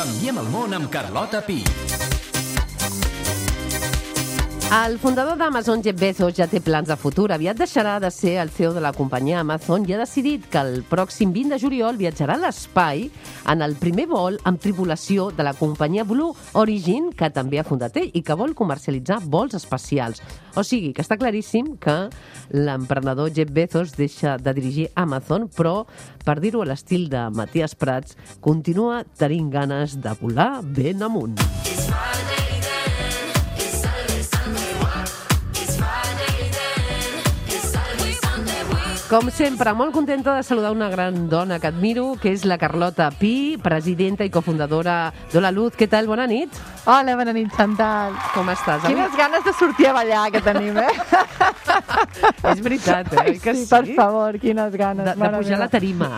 Canviem el món amb Carlota Pi. El fundador d'Amazon, Jeff Bezos, ja té plans de futur. Aviat deixarà de ser el CEO de la companyia Amazon i ha decidit que el pròxim 20 de juliol viatjarà a l'espai en el primer vol amb tripulació de la companyia Blue Origin, que també ha fundat ell i que vol comercialitzar vols espacials. O sigui, que està claríssim que l'emprenedor Jeff Bezos deixa de dirigir Amazon, però, per dir-ho a l'estil de Matías Prats, continua tenint ganes de volar ben amunt. Com sempre, molt contenta de saludar una gran dona que admiro, que és la Carlota Pi, presidenta i cofundadora d'Hola Luz. Què tal? Bona nit. Hola, bona nit, Chantal. Com estàs? Quines ganes de sortir a ballar que tenim, És veritat, eh? Que sí, per favor, quines ganes. De pujar a la tarima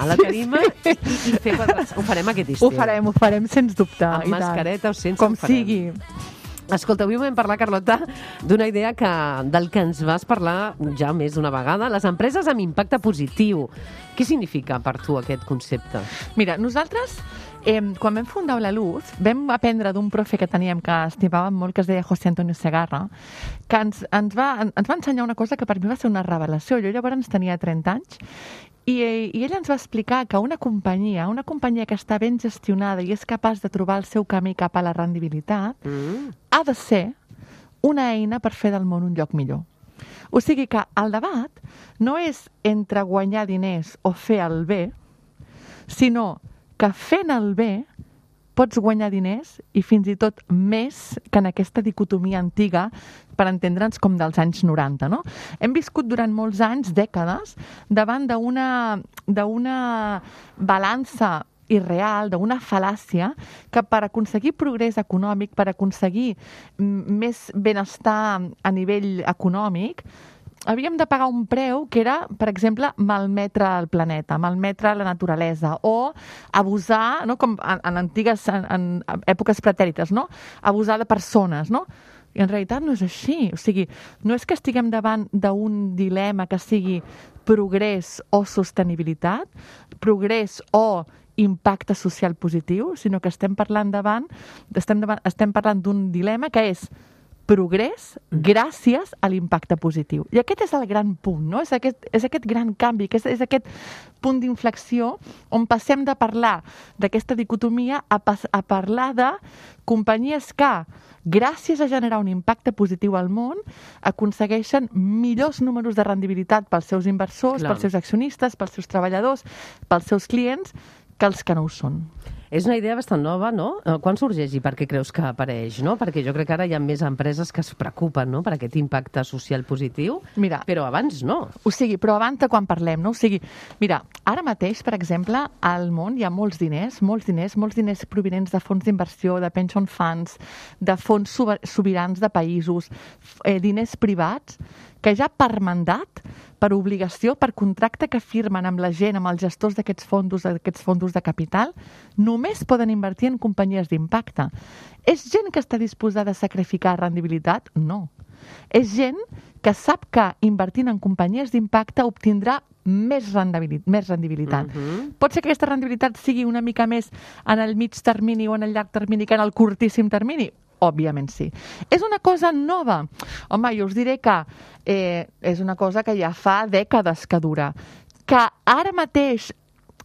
i fer quadres. Ho farem aquest estiu. Ho farem, sens dubte. Amb mascareta o sense. Com sigui. Escolta, avui vam parlar, Carlota, d'una idea del que ens vas parlar ja més d'una vegada, les empreses amb impacte positiu. Què significa per tu aquest concepte? Mira, nosaltres, quan vam fundar Hola Luz, vam aprendre d'un profe que teníem que estimàvem molt, que es deia José Antonio Segarra, que ens va ensenyar una cosa que per mi va ser una revelació. Jo llavors tenia 30 anys i ell ens va explicar que una companyia que està ben gestionada i és capaç de trobar el seu camí cap a la rendibilitat, ha de ser una eina per fer del món un lloc millor. O sigui que el debat no és entre guanyar diners o fer el bé, sinó que fent el bé pots guanyar diners i fins i tot més que en aquesta dicotomia antiga, per entendre'ns com dels anys 90, no? Hem viscut durant molts anys, dècades, davant d'una balança irreal, d'una fal·làcia, que per aconseguir progrés econòmic, per aconseguir més benestar a nivell econòmic, havíem de pagar un preu que era, per exemple, malmetre el planeta, malmetre la naturalesa, o abusar, no? Com en èpoques pretèrites, no? Abusar de persones, no? I en realitat no és així. O sigui, no és que estiguem davant d'un dilema que sigui progrés o sostenibilitat, progrés o impacte social positiu, sinó que estem parlant d'un dilema que és progrés gràcies a l'impacte positiu. I aquest és el gran punt, no? És aquest gran canvi, és aquest punt d'inflexió on passem de parlar d'aquesta dicotomia a parlar de companyies que, gràcies a generar un impacte positiu al món, aconsegueixen millors números de rendibilitat pels seus inversors, pels seus accionistes, pels seus treballadors, pels seus clients, que els que no ho són. És una idea bastant nova, no? Quan sorgeix i per què creus que apareix, no? Perquè jo crec que ara hi ha més empreses que es preocupen, no?, per aquest impacte social positiu, mira, però abans no. O sigui, però abans de quan parlem, no? O sigui, mira, ara mateix, per exemple, al món hi ha molts diners provinents de fons d'inversió, de pension funds, de fons sobirans de països, diners privats, que ja per mandat, per obligació, per contracte que firmen amb la gent, amb els gestors d'aquests fons de capital, només poden invertir en companyies d'impacte. És gent que està disposada a sacrificar rendibilitat? No. És gent que sap que invertint en companyies d'impacte obtindrà més rendibilitat. Pot ser que aquesta rendibilitat sigui una mica més en el mig termini o en el llarg termini que en el curtíssim termini? Òbviament sí. És una cosa nova. Home, jo us diré que és una cosa que ja fa dècades que dura. Que ara mateix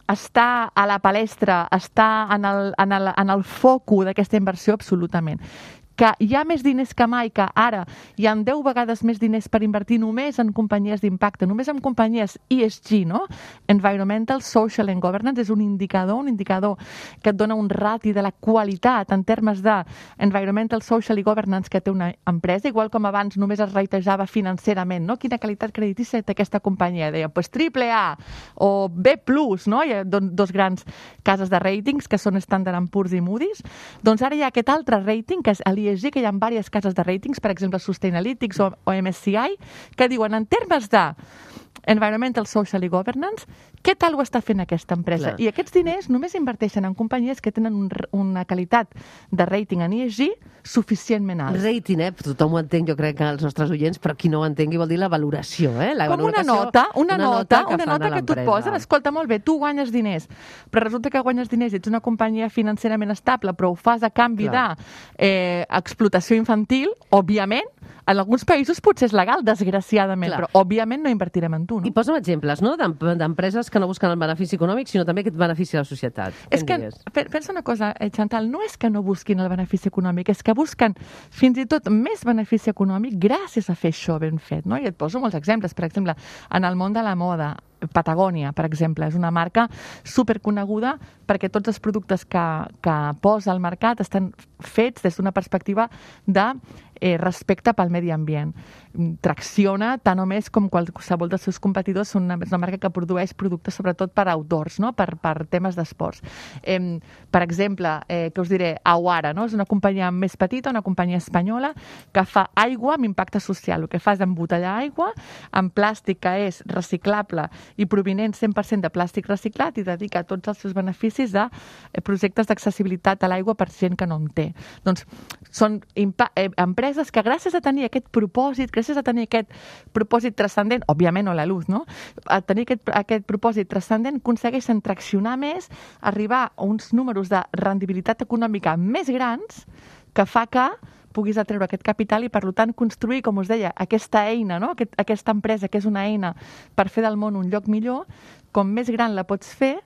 està a la palestra, està en el focus d'aquesta inversió, absolutament. Que hi ha més diners que mai, que ara hi ha 10 vegades més diners per invertir només en companyies d'impacte, només en companyies ESG, no? Environmental, Social and Governance, és un indicador que et dona un rati de la qualitat en termes de Environmental, Social i Governance que té una empresa, igual com abans només es ratejava financerament, no? Quina qualitat creditícia té aquesta companyia? Deia, pues AAA o B+, no? Hi ha dos grans cases de ratings que són Standard & Poor's i Moody's. Doncs ara hi ha aquest altre rating, que és l'ESG, que hi ha diverses cases de ratings, per exemple Sustainalytics o MSCI, que diuen en termes de Environmental, Social i Governance, què tal ho està fent aquesta empresa? Clar. I aquests diners només inverteixen en companyies que tenen una qualitat de rating en ESG suficientment alt. Rating, tothom ho entén, jo crec que els nostres oients, però qui no ho entengui vol dir la valoració, La Com una nota que tu et posen. Escolta, molt bé, tu guanyes diners, però resulta que guanyes diners i ets una companyia financerament estable, però ho fas a canvi d'explotació infantil, òbviament, en alguns països potser és legal, desgraciadament, però òbviament no invertirem en tu. No? I posa'm exemples, no?, d'empreses que no busquen el benefici econòmic, sinó també aquest benefici a la societat. És que, pensa una cosa, Chantal, no és que no busquin el benefici econòmic, és que busquen fins i tot més benefici econòmic gràcies a fer això ben fet, no? I et poso molts exemples. Per exemple, en el món de la moda, Patagònia, per exemple, és una marca superconeguda perquè tots els productes que posa al mercat estan fets des d'una perspectiva de respecte pel medi ambient. Tracciona tant o més com qualsevol dels seus competidors. És una marca que produeix productes sobretot per outdoors, no? per temes d'esports. Per exemple, què us diré? Awara, no? És una companyia més petita, una companyia espanyola que fa aigua amb impacte social. El que fa és embotellar aigua amb plàstic que és reciclable i provinent 100% de plàstic reciclat i dedica tots els seus beneficis a projectes d'accessibilitat a l'aigua per gent que no en té. Doncs són empreses que gràcies a tenir aquest propòsit, gràcies a tenir aquest propòsit transcendent, òbviament no la luz, no? A tenir aquest propòsit transcendent aconsegueixen traccionar més, arribar a uns números de rendibilitat econòmica més grans que fa que puguis atreure aquest capital i, per tant, construir, com us deia, aquesta eina, no? Aquesta empresa que és una eina per fer del món un lloc millor, com més gran la pots fer,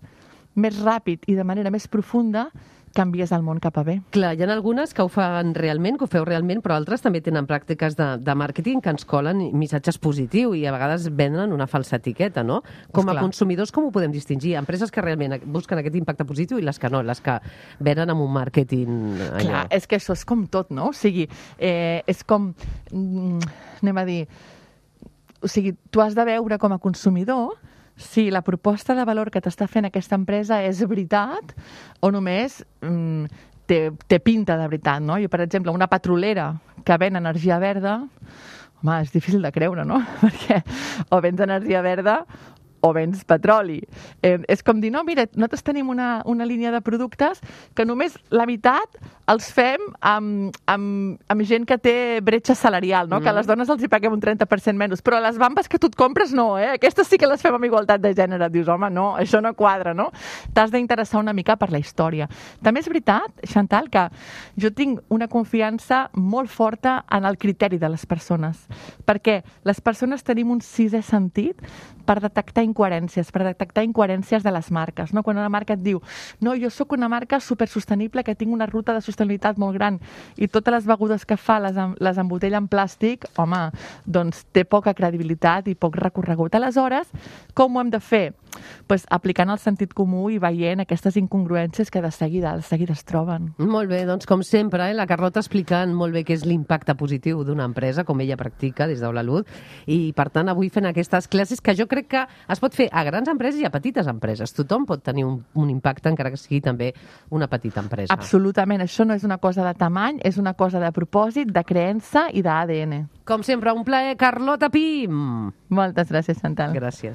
més ràpid i de manera més profunda canvies el món cap a bé. Clar, hi ha algunes que ho fan realment, que ho feu realment, però altres també tenen pràctiques de màrqueting que ens colen missatges positius i a vegades venen una falsa etiqueta, no? Com a consumidors, com ho podem distingir? Empreses que realment busquen aquest impacte positiu i les que no, les que venen amb un màrqueting allò. Clar, és que això és com tot, no? O sigui, és com, anem a dir, o sigui, tu has de veure com a consumidor si la proposta de valor que t'està fent aquesta empresa és veritat o només té pinta de veritat, no? Jo, per exemple, una petrolera que ven energia verda, home, és difícil de creure, no? Perquè o vens energia verda o vens petroli. És com dir, no, mira, nosaltres tenim una línia de productes que només la meitat els fem amb gent que té bretxa salarial, no? Que a les dones els hi paguem un 30% menys, però les bambes que tu et compres no, aquestes sí que les fem amb igualtat de gènere. Dius, home, no, això no quadra, no? T'has d'interessar una mica per la història. També és veritat, Chantal, que jo tinc una confiança molt forta en el criteri de les persones, perquè les persones tenim un sisè sentit per detectar incoherències de les marques, no? Quan una marca et diu, no, jo sóc una marca supersostenible que tinc una ruta de sostenibilitat molt gran i totes les begudes que fa les embotella en plàstic, home, doncs té poca credibilitat i poc recorregut. Aleshores, com ho hem de fer? Pues aplicant el sentit comú i veient aquestes incongruències que de seguida es troben. Molt bé, doncs com sempre, la Carlota explicant molt bé què és l'impacte positiu d'una empresa, com ella practica des d'Hola i per tant avui fent aquestes classes que jo crec que es pot fer a grans empreses i a petites empreses. Tothom pot tenir un impacte, encara que sigui també una petita empresa. Absolutament, això no és una cosa de tamany, és una cosa de propòsit, de creença i d'ADN. Com sempre, un plaer, Carlota Pi! Moltes gràcies, Chantal. Gràcies.